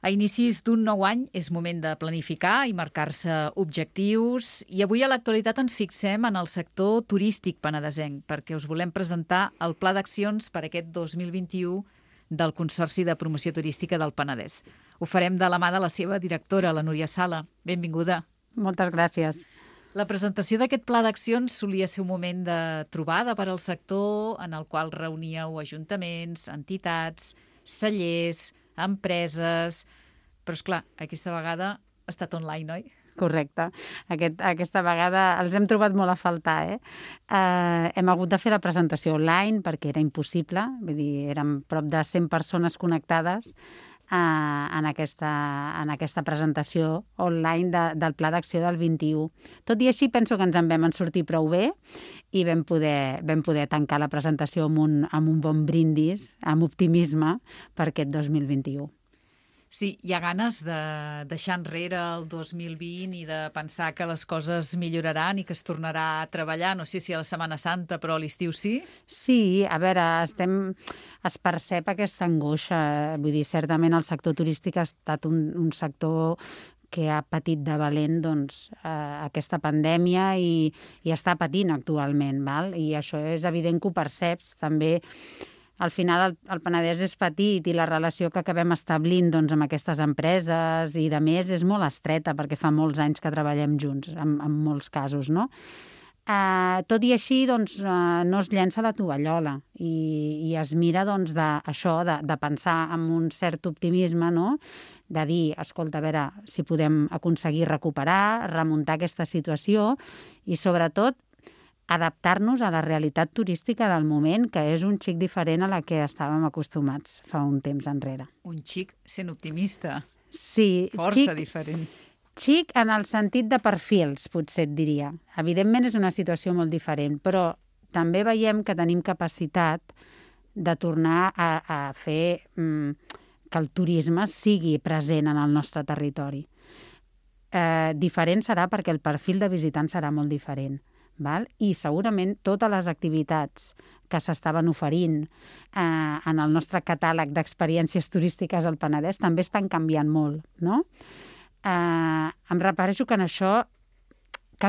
A inicis d'un nou any és moment de planificar i marcar-se objectius i avui a l'actualitat ens fixem en el sector turístic penedesenc perquè us volem presentar el pla d'accions per aquest 2021 del Consorci de Promoció Turística del Penedès. Ho farem de la mà de la seva directora, la Núria Sala. Benvinguda. Moltes gràcies. La presentació d'aquest pla d'accions solia ser un moment de trobada per al sector en el qual reuníeu ajuntaments, entitats, cellers, empreses... Però, esclar, aquesta vegada ha estat online, oi? Correcte. Aquesta vegada els hem trobat molt a faltar, hem hagut de fer la presentació online perquè era impossible, vull dir, érem prop de 100 persones connectades en aquesta presentació online del Pla d'Acció del 21. Tot i així, penso que ens en vam sortir prou bé i vam poder tancar la presentació amb un bon brindis, amb optimisme per aquest 2021. Sí, hi ha ganes de deixar enrere el 2020 i de pensar que les coses milloraran i que es tornarà a treballar, no sé si a la Setmana Santa, però a l'estiu sí? Sí, a veure, es percep aquesta angoixa. Vull dir, certament el sector turístic ha estat un sector que ha patit de valent aquesta pandèmia i està patint actualment, val? I això és evident que ho perceps també. Al final el Penedès és petit i la relació que acabem establint amb aquestes empreses i de més és molt estreta perquè fa molts anys que treballem junts, en molts casos, no? Tot i així, no es llença la tovallola i es mira de pensar amb un cert optimisme, no? De dir, escolta, a veure si podem aconseguir recuperar, remuntar aquesta situació i, sobretot, adaptar-nos a la realitat turística del moment, que és un xic diferent a la que estàvem acostumats fa un temps enrere. Un xic sent optimista. Sí. Força diferent. Xic en el sentit de perfils, potser et diria. Evidentment és una situació molt diferent, però també veiem que tenim capacitat de tornar a fer que el turisme sigui present en el nostre territori. Diferent serà perquè el perfil de visitant serà molt diferent. Val? I segurament totes les activitats que s'estaven oferint en el nostre catàleg d'experiències turístiques al Penedès també estan canviant molt, no? Em refereixo que en això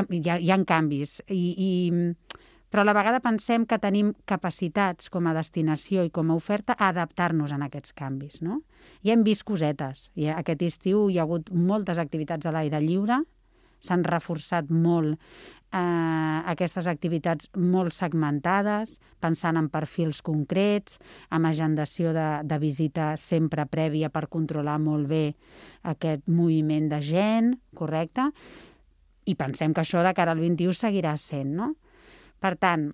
hi ha canvis, però a la vegada pensem que tenim capacitats com a destinació i com a oferta a adaptar-nos a aquests canvis, no? I hem vist cosetes. Aquest estiu hi ha hagut moltes activitats a l'aire lliure, s'han reforçat molt aquestes activitats molt segmentades, pensant en perfils concrets, amb agendació de visita sempre prèvia per controlar molt bé aquest moviment de gent, correcte? I pensem que això de cara al 21 seguirà sent, no? Per tant,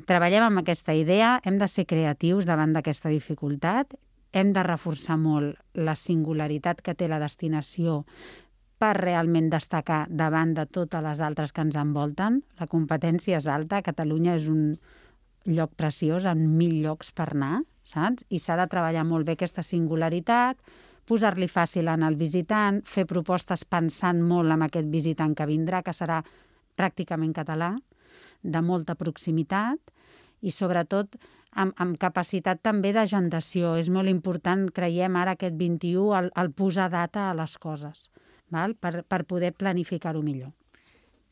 treballem amb aquesta idea, hem de ser creatius davant d'aquesta dificultat, hem de reforçar molt la singularitat que té la destinació per realment destacar davant de totes les altres que ens envolten. La competència és alta, Catalunya és un lloc preciós, amb 1.000 llocs per anar, saps? I s'ha de treballar molt bé aquesta singularitat, posar-li fàcil al visitant, fer propostes pensant molt en aquest visitant que vindrà, que serà pràcticament català, de molta proximitat i sobretot amb capacitat també d'agendació. És molt important, creiem ara aquest 21, el posar data a les coses, val? Per poder planificar-ho millor.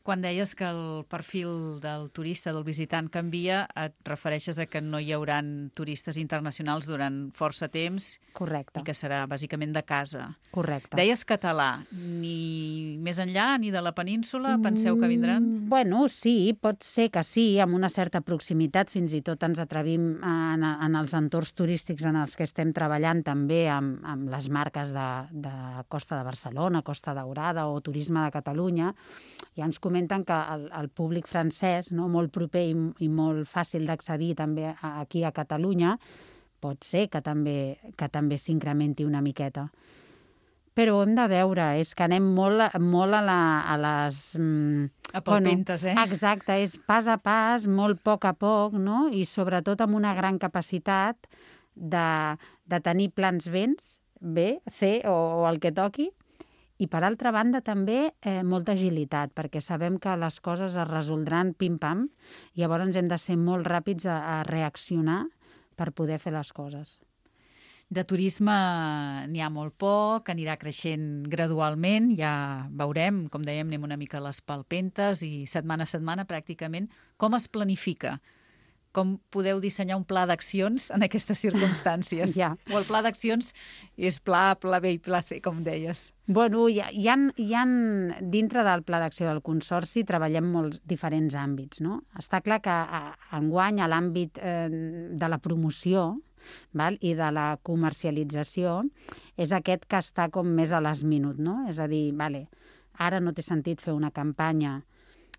Quan deies que el perfil del turista, del visitant, canvia, et refereixes a que no hi hauran turistes internacionals durant força temps. Correcte. I que serà bàsicament de casa. Correcte. Deies català. Ni més enllà, ni de la península, penseu que vindran? Bueno, sí, pot ser que sí, amb una certa proximitat. Fins i tot ens atrevim en els entorns turístics en els que estem treballant també amb les marques de Costa de Barcelona, Costa Daurada o Turisme de Catalunya. Ja ens comenten que el públic francès, no, molt proper i molt fàcil d'accedir també aquí a Catalunya, pot ser que també s'incrementi una miqueta. Però hem de veure, és que anem molt a les... A palpentes, Exacte, és pas a pas, molt a poc, no? I sobretot amb una gran capacitat de tenir plans B, C o el que toqui. I, per altra banda, també molta agilitat, perquè sabem que les coses es resoldran pim-pam, i llavors hem de ser molt ràpids a reaccionar per poder fer les coses. De turisme n'hi ha molt poc, anirà creixent gradualment, ja veurem, com dèiem, anem una mica a les palpentes i setmana a setmana pràcticament. Com es planifica? Com podeu dissenyar un pla d'accions en aquestes circumstàncies? Ja. O el pla d'accions és pla B i pla C, com deies? Bueno, hi ha dintre del pla d'acció del Consorci treballem molts diferents àmbits, no? Està clar que enguany a l'àmbit de la promoció i de la comercialització és aquest que està com més a les minut, no? És a dir, ara no té sentit fer una campanya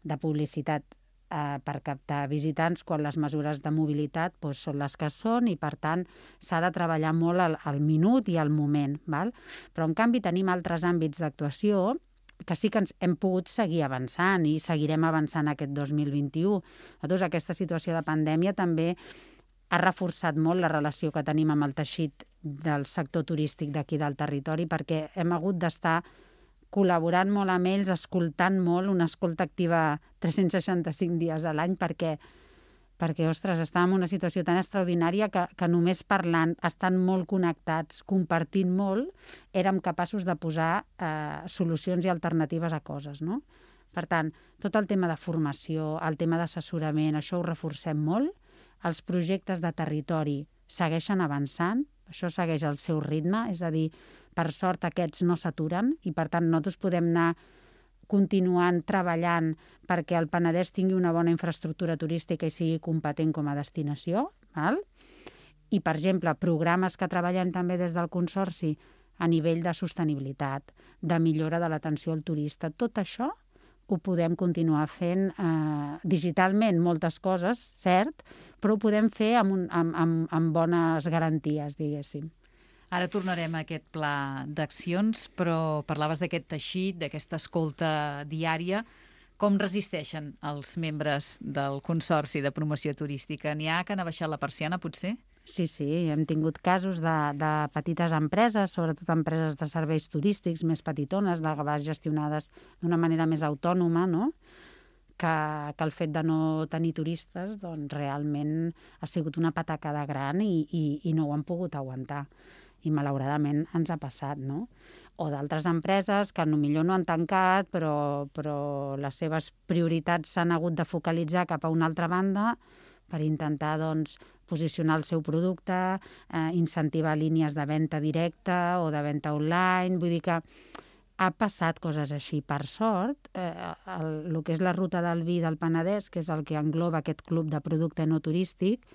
de publicitat per captar visitants quan les mesures de mobilitat són les que són i, per tant, s'ha de treballar molt al minut i al moment. Però, en canvi, tenim altres àmbits d'actuació que sí que ens hem pogut seguir avançant i seguirem avançant aquest 2021. Nosaltres, aquesta situació de pandèmia també ha reforçat molt la relació que tenim amb el teixit del sector turístic d'aquí del territori, perquè hem hagut d'estar col·laborant molt amb ells, escoltant molt, una escolta activa 365 dies a l'any, perquè ostres, estàvem en una situació tan extraordinària que només parlant, estant molt connectats, compartint molt, érem capaços de posar solucions i alternatives a coses, no? Per tant, tot el tema de formació, el tema d'assessorament, això ho reforcem molt. Els projectes de territori segueixen avançant, això segueix el seu ritme, és a dir, per sort aquests no s'aturen i, per tant, nosaltres podem anar continuant treballant perquè el Penedès tingui una bona infraestructura turística i sigui competent com a destinació. I, per exemple, programes que treballem també des del Consorci a nivell de sostenibilitat, de millora de l'atenció al turista, tot això ho podem continuar fent digitalment, moltes coses, cert, però ho podem fer amb bones garanties, diguéssim. Ara tornarem a aquest pla d'accions, però parlaves d'aquest teixit, d'aquesta escolta diària. Com resisteixen els membres del Consorci de Promoció Turística? N'hi ha que han abaixat la persiana, potser? Sí, hem tingut casos de petites empreses, sobretot empreses de serveis turístics més petitones, de vegades gestionades d'una manera més autònoma, no? Que el fet de no tenir turistes doncs, realment ha sigut una patacada gran i no ho han pogut aguantar. I malauradament ens ha passat, no? O d'altres empreses que potser no han tancat, però les seves prioritats s'han hagut de focalitzar cap a una altra banda per intentar doncs, posicionar el seu producte, incentivar línies de venda directa o de venda online. Vull dir que ha passat coses així. Per sort, el que és la ruta del vi del Penedès, que és el que engloba aquest club de producte no turístic,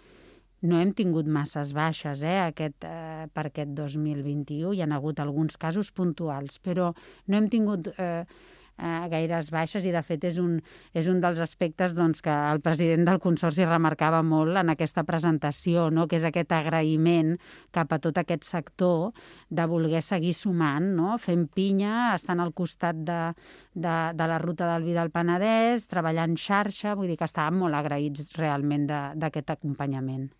no hem tingut masses baixes per aquest 2021. Hi ha hagut alguns casos puntuals, però no hem tingut gaires baixes i, de fet, és un dels aspectes doncs, que el president del Consorci remarcava molt en aquesta presentació, no? Que és aquest agraïment cap a tot aquest sector de voler seguir sumant, no? Fent pinya, estant al costat de la ruta del vi del Penedès, treballant xarxa, vull dir que estàvem molt agraïts realment d'aquest acompanyament.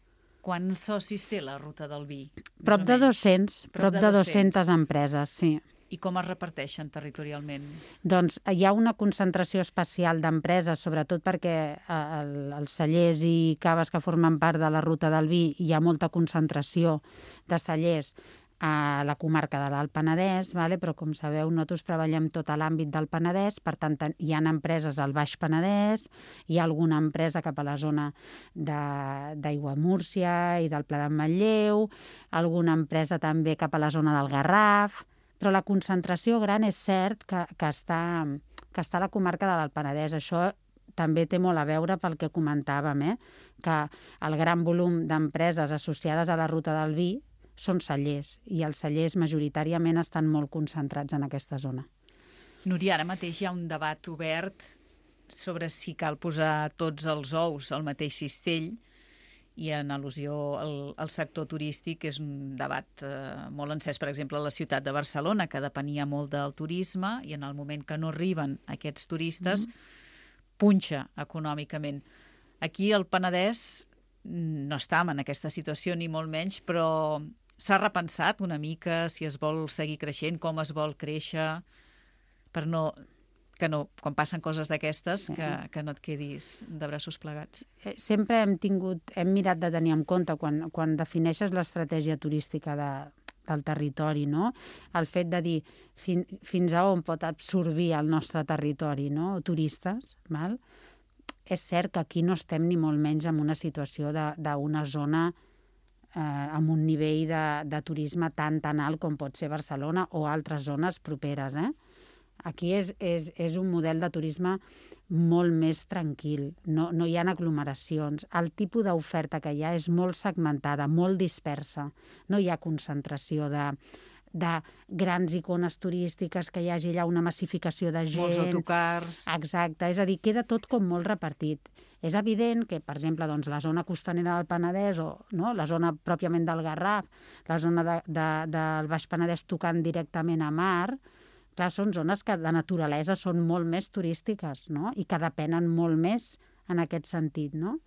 Quants socis té la ruta del vi? Prop de 200 empreses, sí. I com es reparteixen territorialment? Doncs hi ha una concentració especial d'empreses, sobretot perquè els cellers i caves que formen part de la ruta del vi hi ha molta concentració de cellers a la comarca de l'Alt Penedès, però com sabeu nosaltres treballem tot a l'àmbit del Penedès, per tant hi ha empreses al Baix Penedès, hi ha alguna empresa cap a la zona d'Aiguamúrcia i del Pla d'en Manlleu, alguna empresa també cap a la zona del Garraf, però la concentració gran és cert que està a la comarca de l'Alt Penedès. Això també té molt a veure pel que comentàvem, que el gran volum d'empreses associades a la ruta del vi són cellers, i els cellers majoritàriament estan molt concentrats en aquesta zona. Núria, ara mateix hi ha un debat obert sobre si cal posar tots els ous al mateix cistell, i en al·lusió al sector turístic és un debat molt encès, per exemple, a la ciutat de Barcelona, que depenia molt del turisme, i en el moment que no arriben aquests turistes, punxa econòmicament. Aquí al Penedès no estàvem en aquesta situació, ni molt menys, però s'ha repensat una mica si es vol seguir creixent, com es vol créixer, per no que no, quan passen coses d'aquestes, que no et quedis de braços plegats. Sempre hem mirat de tenir en compte, quan defineixes l'estratègia turística del territori, no? El fet de dir fins a on pot absorbir el nostre territori, no? Turistes, val? És cert que aquí no estem ni molt menys en una situació d'una zona amb un nivell de turisme tan alt com pot ser Barcelona o altres zones properes. Aquí és un model de turisme molt més tranquil, no hi ha aglomeracions. El tipus d'oferta que hi ha és molt segmentada, molt dispersa. No hi ha concentració de grans icones turístiques, que hi hagi allà una massificació de gent. Molts autocars. Exacte, és a dir, queda tot com molt repartit. És evident que, per exemple, la zona costanera del Penedès o la zona pròpiament del Garraf, la zona del Baix Penedès tocant directament a mar, clar, són zones que de naturalesa són molt més turístiques, no? I que depenen molt més en aquest sentit, no?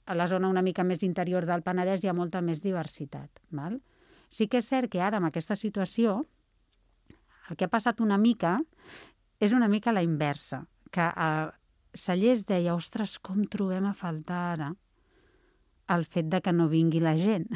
A la zona una mica més interior del Penedès hi ha molta més diversitat, val? Sí que és cert que ara, amb aquesta situació, el que ha passat una mica és una mica la inversa, que Cellers deia, ostres, com trobem a faltar ara el fet de que no vingui la gent,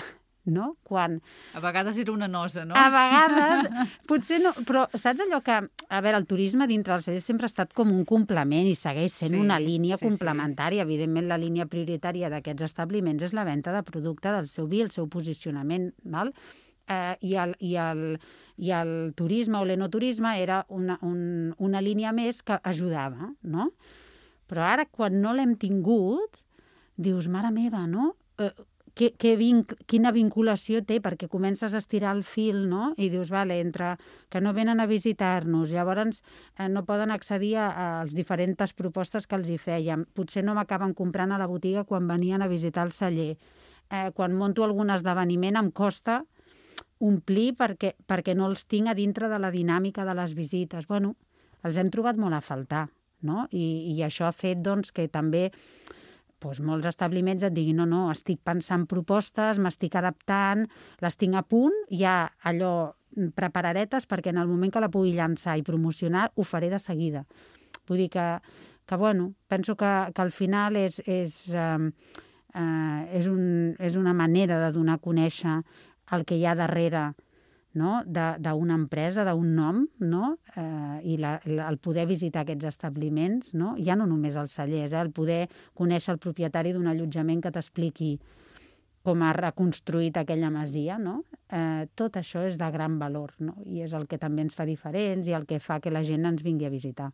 no? Quan... A vegades era una nosa, no? A vegades, potser no, però saps allò que, a veure, el turisme dintre dels Cellers sempre ha estat com un complement i segueix sent una línia complementària. Evidentment, la línia prioritària d'aquests establiments és la venda de producte del seu vi, el seu posicionament, val? I el turisme o l'enoturisme era una línia més que ajudava, no? Però ara, quan no l'hem tingut, dius, mare meva, no? Quina vinculació té, perquè comences a estirar el fil, no? I dius, vale, entre que no venen a visitar-nos, llavors no poden accedir a les diferents propostes que els hi fèiem, potser no m'acaben comprant a la botiga quan venien a visitar el celler, quan monto algun esdeveniment em costa omplir perquè no els tinc a dintre de la dinàmica de les visites. Bueno, els hem trobat molt a faltar, no? I això ha fet doncs, que també molts establiments et diguin no, estic pensant propostes, m'estic adaptant, les tinc a punt, ja allò preparadetes perquè en el moment que la pugui llançar i promocionar ho faré de seguida. Vull dir que bueno, penso que al final és una manera de donar a conèixer el que hi ha darrere, no? D'una empresa, d'un nom, no? I el poder visitar aquests establiments, no? Ja no només els cellers, el poder conèixer el propietari d'un allotjament que t'expliqui com ha reconstruït aquella masia, no? Tot això és de gran valor, no? I és el que també ens fa diferents i el que fa que la gent ens vingui a visitar.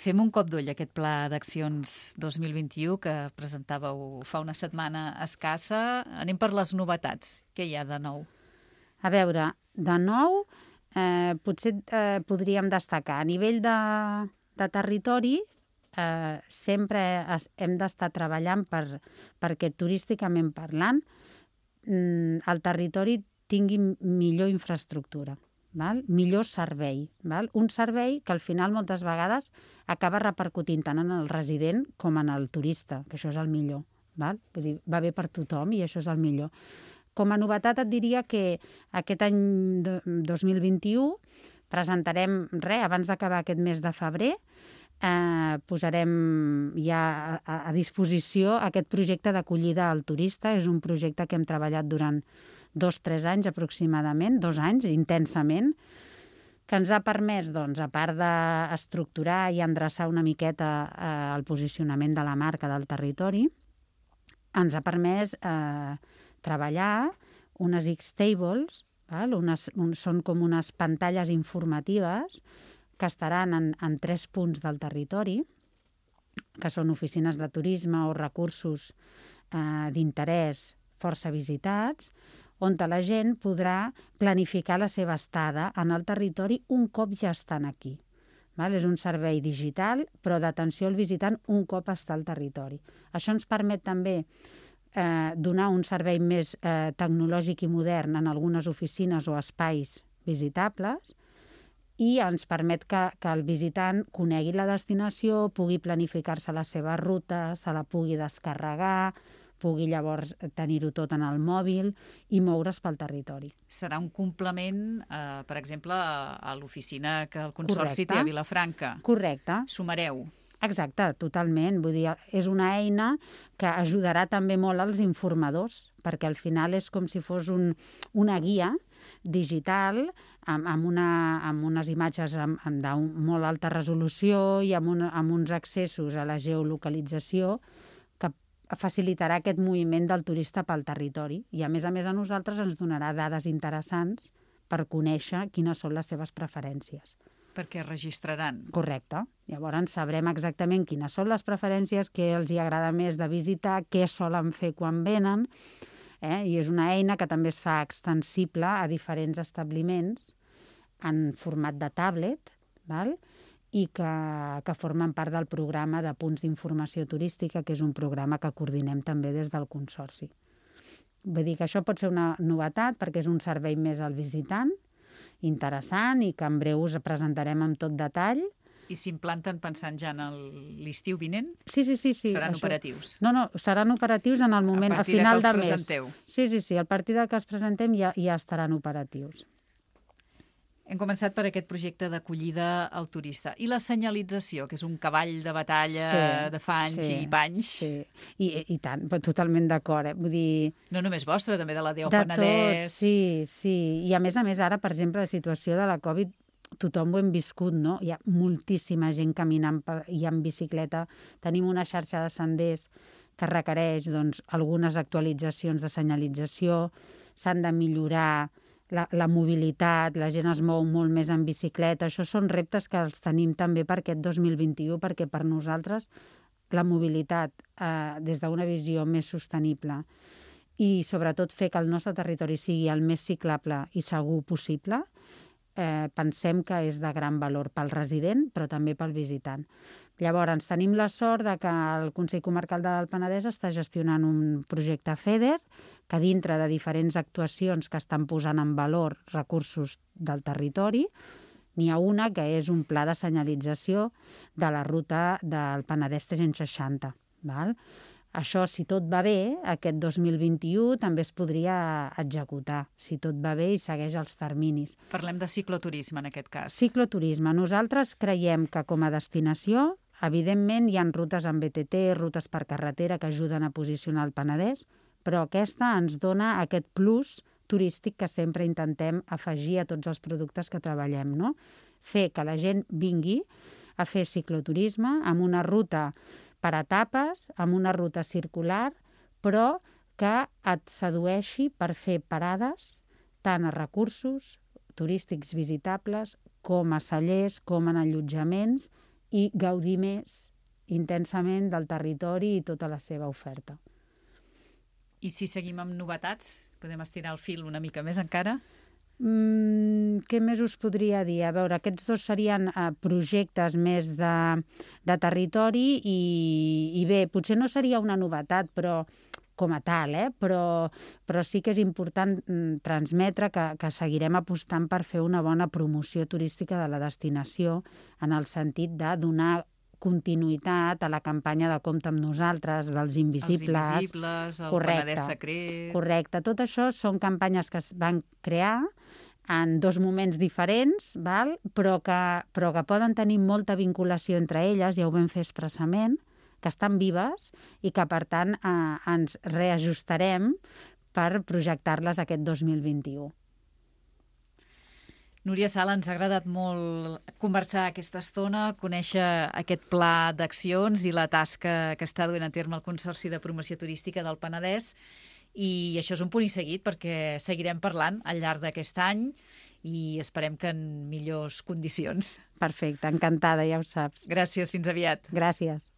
Fem un cop d'ull a aquest Pla d'Accions 2021 que presentàveu fa una setmana escassa. Anem per les novetats. Què hi ha de nou? A veure, de nou, potser podríem destacar. A nivell de territori, sempre hem d'estar treballant perquè turísticament parlant el territori tingui millor infraestructura. Val? Millor servei. Val? Un servei que al final moltes vegades acaba repercutint tant en el resident com en el turista, que això és el millor. Val? Vull dir, va bé per tothom i això és el millor. Com a novetat et diria que aquest any 2021 presentarem, abans d'acabar aquest mes de febrer, posarem ja a disposició aquest projecte d'acollida al turista. És un projecte que hem treballat durant 2-3 anys aproximadament, 2 anys, intensament, que ens ha permès, doncs, a part d'estructurar i endreçar una miqueta el posicionament de la marca del territori, ens ha permès treballar unes X-Tables, són com unes pantalles informatives que estaran en 3 punts del territori, que són oficines de turisme o recursos d'interès força visitats, on la gent podrà planificar la seva estada en el territori un cop ja estan aquí. És un servei digital, però d'atenció al visitant un cop està al territori. Això ens permet també donar un servei més tecnològic i modern en algunes oficines o espais visitables i ens permet que el visitant conegui la destinació, pugui planificar-se la seva ruta, se la pugui descarregar, pugui llavors tenir-ho tot en el mòbil i moure's pel territori. Serà un complement, per exemple, a l'oficina que el Consorci té a Vilafranca. Correcte. Sumareu. Exacte, totalment. Vull dir, és una eina que ajudarà també molt als informadors, perquè al final és com si fos una guia digital amb unes imatges de molt alta resolució i amb uns accessos a la geolocalització que facilitarà aquest moviment del turista pel territori. I a més a nosaltres ens donarà dades interessants per conèixer quines són les seves preferències. Perquè registraran. Correcte. Llavors sabrem exactament quines són les preferències, què els hi agrada més de visitar, què solen fer quan venen, i és una eina que també es fa extensible a diferents establiments en format de tablet, val? I que formen part del programa de punts d'informació turística, que és un programa que coordinem també des del Consorci. Vull dir que això pot ser una novetat perquè és un servei més al visitant, interessant i que en breu us presentarem amb tot detall. I s'implanten pensant ja en l'estiu vinent? Sí. Seran operatius? No, seran operatius en el moment, a final de mes. A partir que els presenteu? Sí, a partir que els presentem ja estaran operatius. Hem començat per aquest projecte d'acollida al turista. I la senyalització, que és un cavall de batalla de fa anys i panys. Sí, i tant, totalment d'acord. Vull dir... No només vostra, també de la DO Penedès. Sí. I a més, ara, per exemple, la situació de la Covid, tothom ho hem viscut, no? Hi ha moltíssima gent caminant i en bicicleta. Tenim una xarxa de senders que requereix algunes actualitzacions de senyalització, s'han de millorar la mobilitat, la gent es mou molt més en bicicleta. Això són reptes que els tenim també per aquest 2021, perquè per nosaltres la mobilitat des d'una visió més sostenible i sobretot fer que el nostre territori sigui el més ciclable i segur possible, pensem que és de gran valor pel resident, però també pel visitant. Llavors, tenim la sort que el Consell Comarcal del Penedès està gestionant un projecte FEDER que dintre de diferents actuacions que estan posant en valor recursos del territori, n'hi ha una que és un pla de senyalització de la ruta del Penedès 360. Val? Això, si tot va bé, aquest 2021 també es podria executar, si tot va bé i segueix els terminis. Parlem de cicloturisme, en aquest cas. Cicloturisme. Nosaltres creiem que com a destinació, evidentment hi ha rutes en BTT, rutes per carretera que ajuden a posicionar el Penedès, però aquesta ens dona aquest plus turístic que sempre intentem afegir a tots els productes que treballem, no? Fer que la gent vingui a fer cicloturisme amb una ruta per etapes, amb una ruta circular, però que et sedueixi per fer parades tant a recursos turístics visitables com a cellers, com en allotjaments i gaudir més intensament del territori i tota la seva oferta. I si seguim amb novetats, podem estirar el fil una mica més encara? Què més us podria dir? A veure, aquests dos serien projectes més de territori i bé, potser no seria una novetat, però com a tal, però sí que és important transmetre que seguirem apostant per fer una bona promoció turística de la destinació en el sentit de donar continuïtat a la campanya de Compte amb nosaltres, dels invisibles. Els invisibles, el Penedès secret... Correcte. Tot això són campanyes que es van crear en dos moments diferents, val? Però que poden tenir molta vinculació entre elles, ja ho vam fer expressament, que estan vives i que, per tant, ens reajustarem per projectar-les aquest 2021. Núria Sala, ens ha agradat molt conversar aquesta estona, conèixer aquest pla d'accions i la tasca que està duent a terme el Consorci de Promoció Turística del Penedès. I això és un punt i seguit perquè seguirem parlant al llarg d'aquest any i esperem que en millors condicions. Perfecte, encantada, ja ho saps. Gràcies, fins aviat. Gràcies.